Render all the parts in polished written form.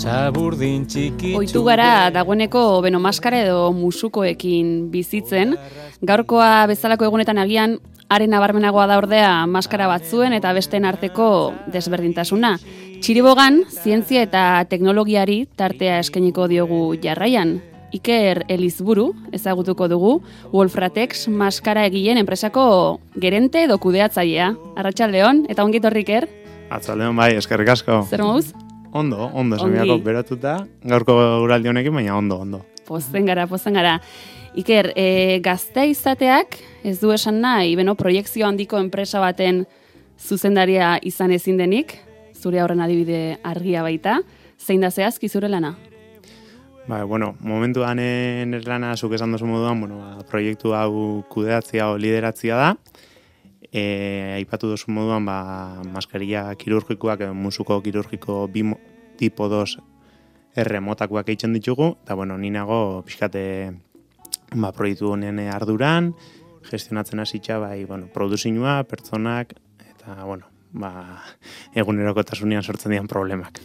Zaburdin txiki. Ohitu gara dagoeneko beno maskara edo musukoekin bizitzen. Gaurkoa bezalako egunetan agian haren nabarmenagoa da ordea maskara batzuen eta besteen arteko desberdintasuna. Txiribogan, zientzia eta teknologiari tartea eskainiko diogu jarraian. Iker Elizburu ezagutuko dugu, Wolfratex maskara egileen enpresako gerente edo kudeatzailea. Arratsaldeon eta ongi etorri Iker. Arratsaldeon bai, eskerrik asko. Zer moduz? Ondo, semiako beratuta, gaurko guraldi honekin, baina ondo. Pozen gara. Iker, gaztea izateak ez du esan nahi, proiekzio handiko enpresa baten zuzendaria izan ezin denik, zure horren adibide argia baita, zein da zehazki zure lana? Momentuan nire lana zuk esan dozu moduan, proiektu hau kudeatzia o lideratzia da, aipatu dozu moduan, maskeria kirurgikoak, musuko kirurgiko tipo 2 erremotakoak eitzen ditugu, eta ni nago pixkate proiektu honen arduran, gestionatzen hasitza, produzinua, pertsonak, eta, egunerokotasunean sortzen dian problemak.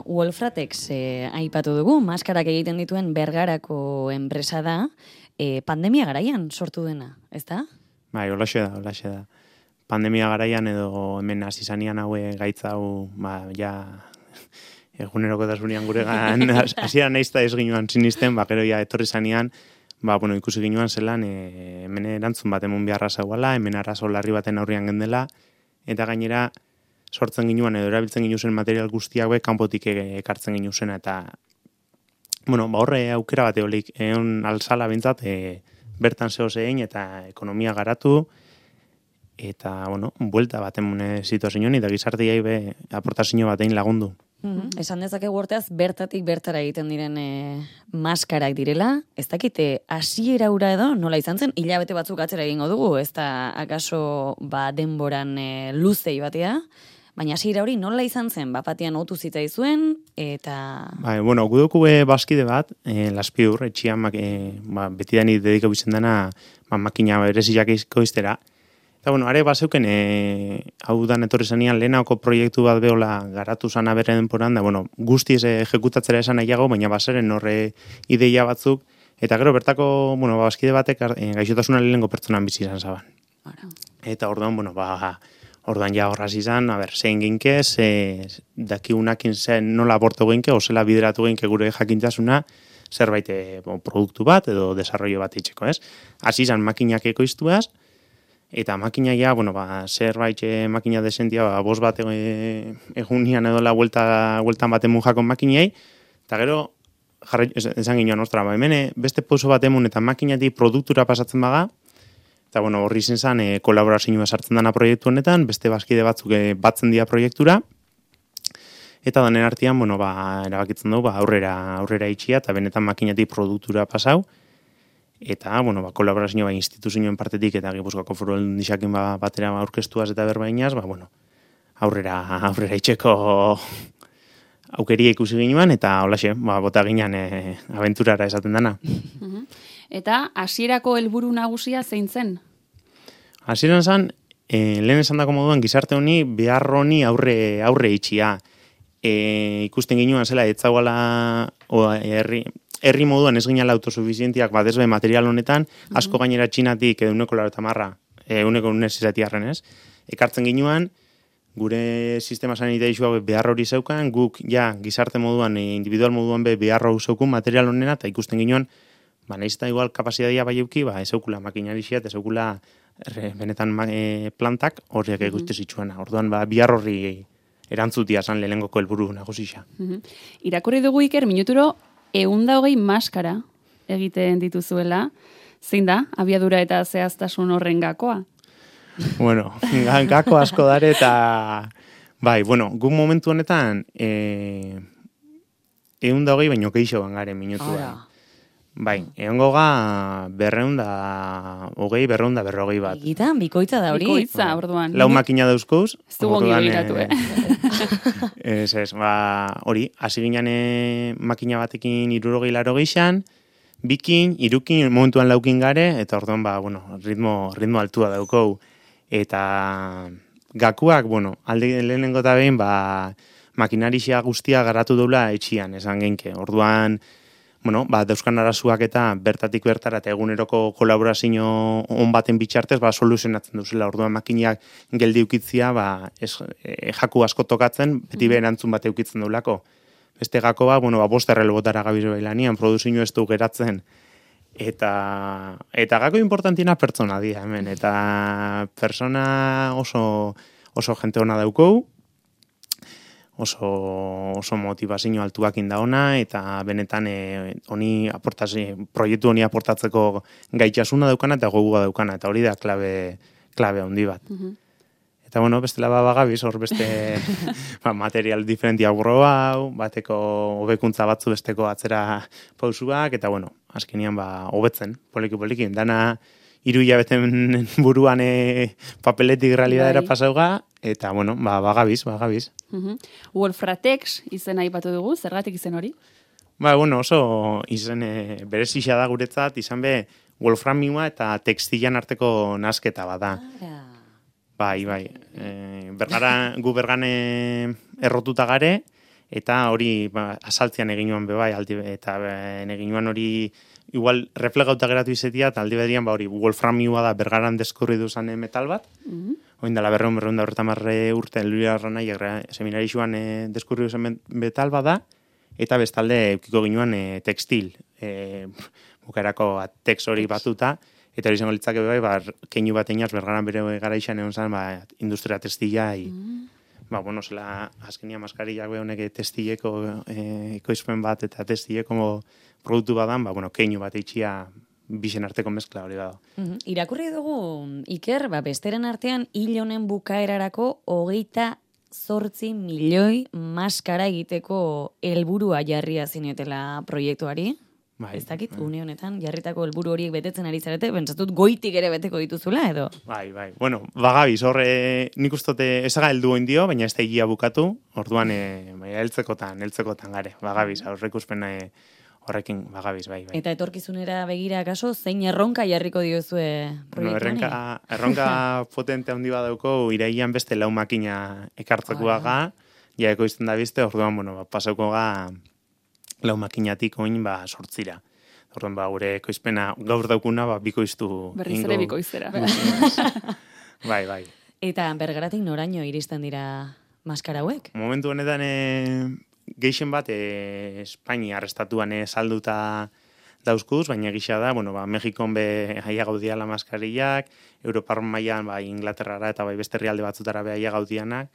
Wolfratex aipatu dugu, maskarak egiten dituen Bergarako enpresa da, pandemia garaian sortu dena, ez da? Holaxe da. Pandemia garaian edo hemen hasi zanean haue gaitza hau, egunerokotasunean guregan hasieran naizta ez ginuan sinisten, gero etorri zanean, ikusi ginuan zelan, hemen erantzun bat emun beharra zegoela, hemen arazo larri baten aurrian gendela, eta gainera sortzen ginuan edo erabiltzen ginuzen material guztiak kanpotik ekartzen ginuzen, eta horre aukera bat eolik, egon alzala bintzat, bertan zeo zein eta ekonomia garatu, eta, buelta bat emune situazioan, eta gizartiai aportazio batein lagundu. Esan dezakegu hortaz, bertatik bertara egiten diren maskarak direla, ez dakite hasiera ura edo, nola izan zen, hilabete batzuk atzera egingo dugu, ez da akaso denboran luzei batea, baina hasiera hori nola izan zen, batean otu zitzaizuen, eta... Guduku bazkide bat, Laspiur, etxian, beti dani dediko bizen dena, makina bereziak izkoiztera. Eta, are bazeuken, hau dan etorri zanean, lehenako proiektu bat behola garatu zana bere denporan, da, guztiz ejekutatzera esan nahiago, baina bazeren horre ideia batzuk, eta gero bertako, bazkide batek gaixotasuna lehenko pertsonan bizi izan zaban. Eta orduan, orduan ja horraz izan, zein ginke, dakigunakin zen nola aborto ginke, ozela bideratu ginke gure jakintasuna, zerbait produktu bat edo desarrollo bat itxeko, ez? Hasi izan makinak ekoiztuaz, eta makina ja, zerbait makina desentia, bost bat egunian edo la hueltan bat emun jakon makinei, eta gero, esan ginoan, hemen beste pauso bat emun eta makinatik produktura pasatzen baga, eta horri zen kolaborazioa sartzen dana proiektu honetan, beste bazkide batzuk batzen dira proiektura, eta danen artean, erabakitzen dugu, aurrera itxia, eta benetan makinatik produktura pasau, eta, kolaborazioa instituzioen partetik eta Gipuzkoako Foru Aldundiarekin batera aurkeztuaz eta berbainaz, aurrera itxeko aukeria ikusi ginean, eta holaxe, bota ginean abenturara esaten dana. Eta hasierako helburu nagusia zein zen? Hasieran zen, lehen esan dako moduan, gizarte honi, behar honi aurre itxia. Ikusten ginean zela, etzagoala herri moduan ez ginala autosuficientiak badezbe material honetan, asko gainera txinatik euneko 90, euneko unesizatiarren ez. Ekartzen ginean, gure sistema sanitarizua behar hori zeukan, guk gizarte moduan, individual moduan behar hori zeukun material honena, eta ikusten ginean, nahiz eta igual kapasitatea bai euki, ez eukula makinariziat, ez eukula benetan plantak horiek ikuste zitsuena. Orduan, behar horri erantzutia zan lehenengoko helburu nagusisa. Irakurri dugu Iker, minuturo 120 maskara egiten dituzuela, zein da, abiadura eta zehaztasun horren gakoa? Gako asko dare eta, guk momentu honetan, 120 baino keixo garen minutua. Egongo ga 200 bat. Egitan, bikoitza da hori. Bikoitza, orduan. Lau makina dauzkouz. Ez du gongi begiratu, hori, hasi ginen makina batekin 60-80, bikin, irukin, momentuan laukin gare, eta orduan, ritmo altua daukou. Eta gakuak, alde lehenengo eta behin, makinarixia guztia garatu dula etxian, esan genke. Orduan, bueno, dauzkan arazuak eta bertatik bertara eta eguneroko kolaborazio on baten bitxartez, soluzionatzen duzela. Orduan makinak geldi ukitzia, jaku asko tokatzen, beti berantzun bat eukitzen dulako. Beste gako bost errelbotara gabiz bailanian, produzio ez du geratzen. Eta gako importantiena pertsona dira hemen, eta persona oso jente hona daukou, oso motivazio altuak inda ona, eta benetan proiektu honi aportatzeko gaitxasuna daukana eta gogoa daukana, eta hori da klabe handi bat. Eta bestela bagabiz, hor beste material diferentia burro hau, bateko hobekuntza batzu besteko atzera pausuak, eta azkenean hobetzen, poliki, dana 3 hilabeten buruan papeletik realidadera pasauga, eta bagabiz. Wolfratex izena aipatu dugu, zergatik izen hori? Oso izen berezia da guretzat, izan be wolframioa eta textilan arteko nasketa bada. Bai. Gu bergan errotuta gare, eta hori asaltzean eginuan bebai, eta eginuan hori igual reflegauta geratu izetia, eta aldi bedian hori wolframioa da bergaran deskurri duzan metal bat, oin dela berreun da horretamarre urte, Luria Ranai seminarixuan deskurri duzan metal bat da, eta bestalde eukiko ginuan textil, bukarako tex hori batuta, eta hori izango litzake bebai, keinu bat einaz bergaran bere gara izan egon zen, industria textila, zela azkenia maskarillak honek textileko ekoizpen bat eta textileko produktu badan, keinu bat eitxia bisen arteko mezkla hori bada. Irakurri dugu, Iker, besteren artean hil honen bukaerarako 28 milioi maskara egiteko helburua jarria zinetela proiektuari. Ez dakit, une honetan, jarritako helburu horiek betetzen ari zarete, pentsatut goitik ere beteko dituzula, edo? Bai. Bagabiz, horre nik ustote ezaga heldu indio, baina ez da egia bukatu, orduan heltzekotan gare, bagabiz, aurreikuspen horrekin bagabiz, bai. Eta etorkizunera begira akaso, zein erronka jarriko diozue proiektuani? Erronka potente handi badauko, iraian beste lau makina ekartzekoaga, jaeko izten da bizte, orduan, pasauko ga lau makinatik oin sortzira. Orduan, gure ekoizpena gaur daukuna, bikoiztu. Berriz ere bikoiztera. Bai. Eta bergaratik noraino iristen dira maskara hauek? Momentu honetan geixen bat Espainia arrestatuan salduta dauzkuz, baina gisa da, Mexikon haia gaudiala maskarillak, Europar mailan Inglaterrara eta beste herrialde batzutara haia gaudianak,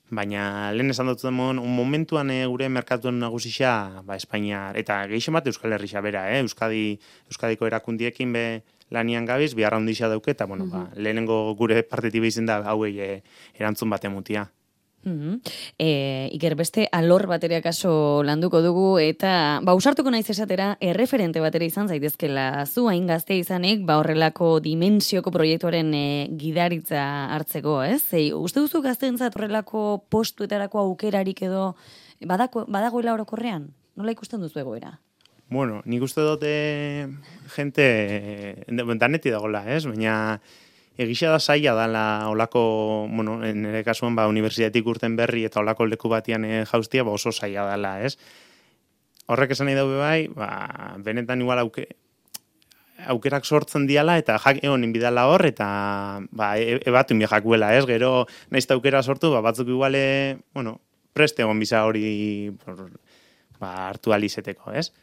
baina lehen esan dut momentuan gure merkatuen nagusisa Espainia, eta geixen bat Euskal Herria bera, Euskadiko erakundiekin lanian gabiz, biharra ondisa dauke, eta lehenengo gure partetiba izen da hauei erantzun bat emutia. Iker, beste alor batera kaso landuko dugu, eta usartuko naiz esatera erreferente batera izan zaitezkela zu hain gazte izanik, horrelako dimensioko proiektuaren gidaritza hartzeko, ez? Uste duzu gazteentzat horrelako postuetarako aukerarik edo badagoela orokorrean? Nola ikusten duzu egoera? Nik uste dute jente daneti dagoela, ez? Baina egisa da zaila dala olako, nire kasuan universitatik urten berri eta olako leku batian jauztia, oso zaila dala, ez? Horrek esan nahi daube bai, benetan igual aukerak sortzen diala eta honen bidala hor, eta ebatu inbi jakuela, ez? Gero nahiz aukera sortu, batzuk iguale, preste egon biza hori hartu alizeteko, ez?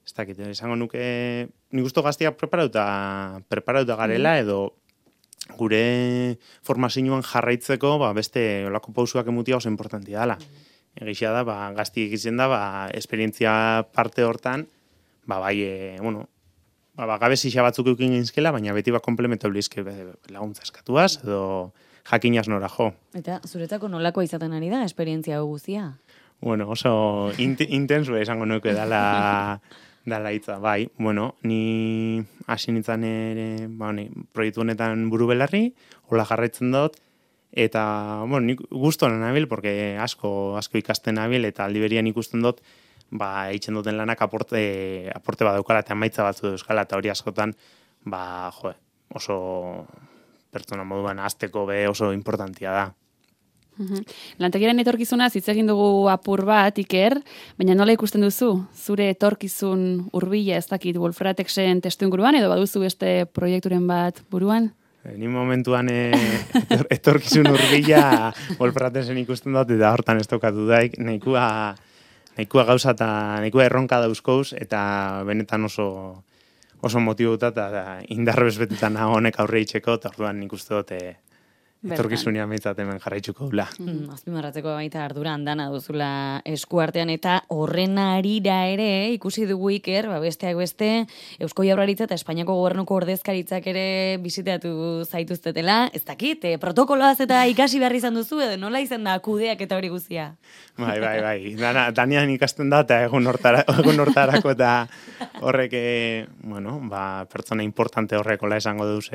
Ez dakit, esango nuke, nik usto gaztiak preparauta garela, edo gure formazioan jarraitzeko beste olako pausuak emutia oso importantia dela. Egizia da, gaztiek izan da, esperientzia parte hortan, gabezia batzuk eukin gintzkela, baina beti komplementu blizke laguntza eskatuaz, edo jakinaz nora jo. Eta zuretzako nolakoa izaten ari da, esperientzia guztia? Oso intensu esango nuke dala hitza, bai. Ni hasi nintzen ere, proiektu honetan buru belarri, hola jarraitzen dut, eta, nik guztoan nabil, porque asko ikasten nabil, eta aldi berian ikusten dut, eitzen duten lanak aporte badaukala, eta emaitza batzu euskala, eta hori askotan, oso pertsona moduan azteko oso importantia da. Lantegiaren etorkizuna hitz egin dugu apur bat, Iker, baina nola ikusten duzu? Zure etorkizun hurbila ez dakit Wolfratexen testuinguruan edo baduzu beste proiekturen bat buruan? Ni momentuan etorkizun hurbila Wolfratexen ikusten dut, eta hortan ez tokatu daik, nahikoa gauza eta nahikoa erronka dauzkoz, eta benetan oso motibuta eta indarrez betetan honek aurre itxeko, eta orduan nik uste dut etorkizunean behintzat hemen jarraitzuko dula. Azpimarratzeko baita ardura handana duzula eskuartean, eta horren arira ere ikusi dugu Iker, besteak beste, Eusko Jaurlaritza eta Espainiako Gobernuko ordezkaritzak ere bisitatu zaituztetela, ez dakit, protokoloaz eta ikasi behar izan duzu, edo nola izan da kudeak eta hori guztia? Bai. Danian ikasten da, eta egun hortarako eta horrek, pertsona importante horrekola esango duz,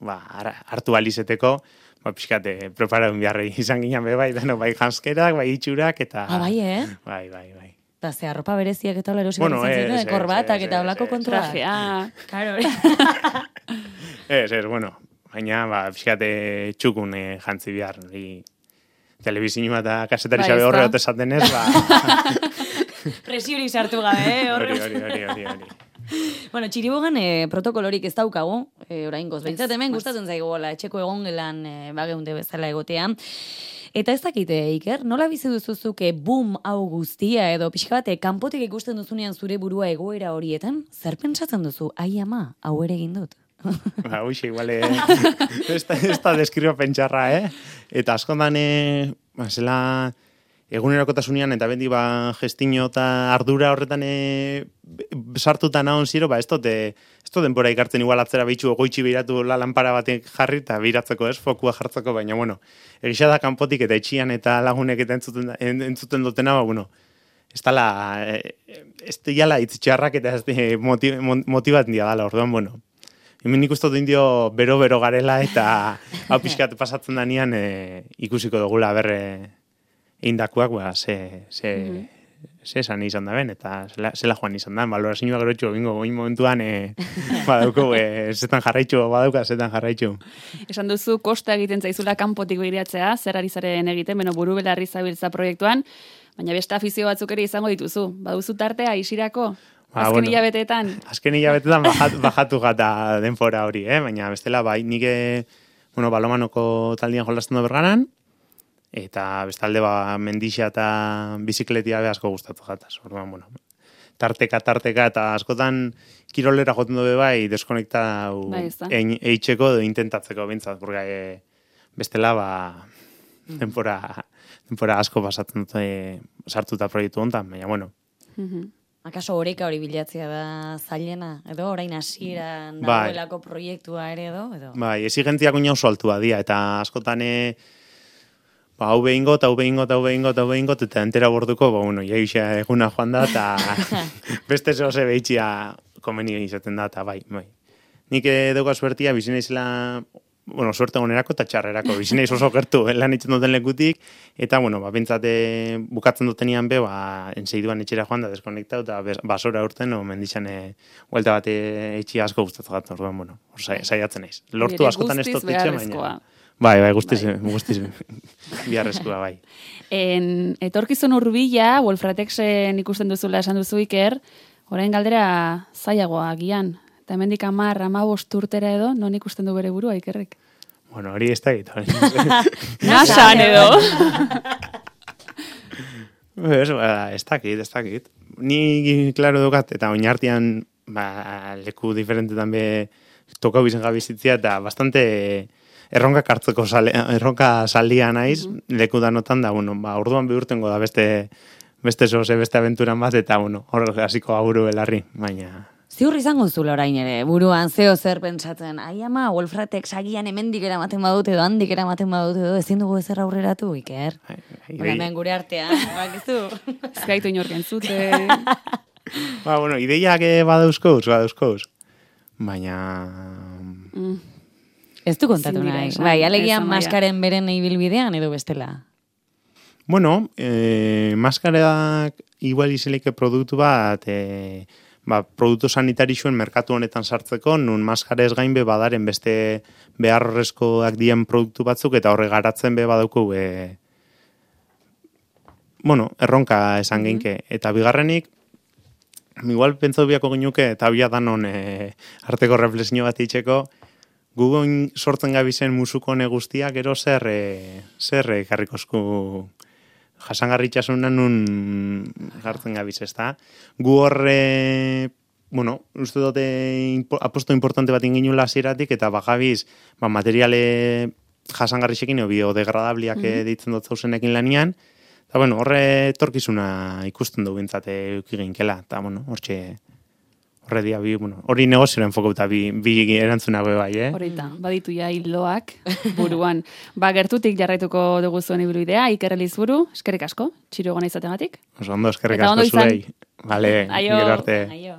hartu alizeteko, pixkate, preparadun biharri izan ginen bai, bai janskerak, bai itxurak, eta... Bai, Bai. Eta ze arropa bereziak eta erosi behar izan korbatak eta olako kontua. Trajea. Karo. Baina, pixkate txukun jantzi behar, telebizioa eta kasetari xabe horre hot esaten ez, Presiori sartu gabe, hori. Bueno, Txiribogan protokolorik ez daukagu, oraingoz. Behintzat hemen gustatzen zaigu etxeko egongelan bageunde bezala egotea. Eta ez dakite, Iker, nola bizi duzuzuke boom hau guztia edo pixka bate kanpotik ikusten duzunean zure burua egoera horietan? Zer pentsatzen duzu? Ai ama, hau ere egin dut. Igual, ez da deskriba pentsarra, Eta askondan, zela... egunerokotasunean eta bendi gestino eta ardura horretan sartuta nahon ziro, ez denbora ikartzen igual atzera behitxu goitxi behiratu lanpara batek jarri eta biratzeko fokua jartzeko, baina egisa da kanpotik eta etxian eta lagunek eta entzuten dutena, ez dela itzitxarrak eta motibat dia dala, orduan, hemen ikustot indio bero garela eta hau pixkat pasatzen danean ikusiko dugula berre indakuak, ze esan izan da ben, eta zela joan izan da, balorazioa gero etxo, bingo, goin momentuan, badauko, zetan jarraitxu. Esan duzu, kosta egiten zaizula kanpotik behiratzea, zer ari zaren egiten, buru belarri zabiltza proiektuan, baina beste afizio batzuk ere izango dituzu. Baduzu tartea, isirako? Azken hilabeteetan? Azken hilabetetan bajatu gata denfora hori, baina bestela, nik balomanoko taldian jolazten do Berganan, eta bestalde mendixa eta bizikletia asko gustatu jataz. Orduan, tarteka eta askotan kirolera joten dobe bai deskonekta eitxeko edo intentatzeko bintzat, porque bestela denpora asko pasatzen dute sartuta proiektu hontan, baina Akaso oreka hori bilatzea da zailena, edo orain hasieran dagoelako proiektua ere edo? Bai, exigentziak oina oso altua dira, eta askotan hau behingot, eta entera borduko, jaisa eguna joan da, eta beste zoze behitxia komeni izaten da, eta bai. Nik dugu suertia, bizina izela, suerte gonerako eta txarrerako, bizina oso gertu, lan itzen duten lekutik, eta, bintzate bukatzen dutenian enseiduan etxera joan da, deskonektau, eta basora urten, mendixan huelta bat etxia asko gustatu gatu, orduan, saiatzen naiz. Lortu askotan ez dutitxe, baina... Bai, guztiz biharrezkoa, bai. Etorkizun hurbila, Wolfratexen ikusten duzula esan duzu Iker, orain galdera zailagoa agian. Eta hemendik 10-15 urtera edo, non ikusten du bere burua Ikerrek? Hori ez da egiten. Nasan edo. Ez dakit. Ni, klaro dukat, eta oinartian leku diferentetan be tokau bizen gabizitzia, eta bastante... erronka saldia naiz, leku danotan da, orduan bihurtengo da beste aventuran bat, eta, hor hasiko aburu belarri, baina... Ziur izango zula orain ere, buruan zeo zer pentsatzen, ai ama, Wolfratex agian hemendik eramaten badut edo, handik eramaten badut edo, ezin dugu ezer aurreratu, Iker? Hemen gure artean, bakizu? Ez gaitu inorken zute. Ideiak badauzkoz, baina... Ez du kontatu nahi. Bai, alegian maskaren beren ibilbidean edo bestela? Maskareak igual izeleike produktu bat, produktu sanitarixuen merkatu honetan sartzeko, nun maskarez gain badaren beste beharrezkoak dien produktu batzuk, eta horre garatzen badauko erronka esan geinke. Eta bigarrenik, igual pentsatu biako ginuke, eta bia danon arteko reflexio bat itxeko, gugon sortzen gabizen musuko hone guztiak, gero zer karrikozku jasangarritxasunan nun jartzen gabiz, ezta? Gu horre, uste dute aposto importante bat inginula hasieratik eta bagabiz, materiale jasangarrixekin o biodegradabliak deitzen dut zauzenekin lanian, eta horre etorkizuna ikusten du bintzate eukiginkela, eta horre dia hori negozioaren enfokauta bi erantzuna bai, Horita, baditu ja hildoak buruan. Gertutik jarraituko dugu zuen ibilbidea, Iker Elizburu, eskerrik asko, txiro gona izategatik. Oso ondo, eskerrik asko zuei. Vale, Aio. gero arte. Aio.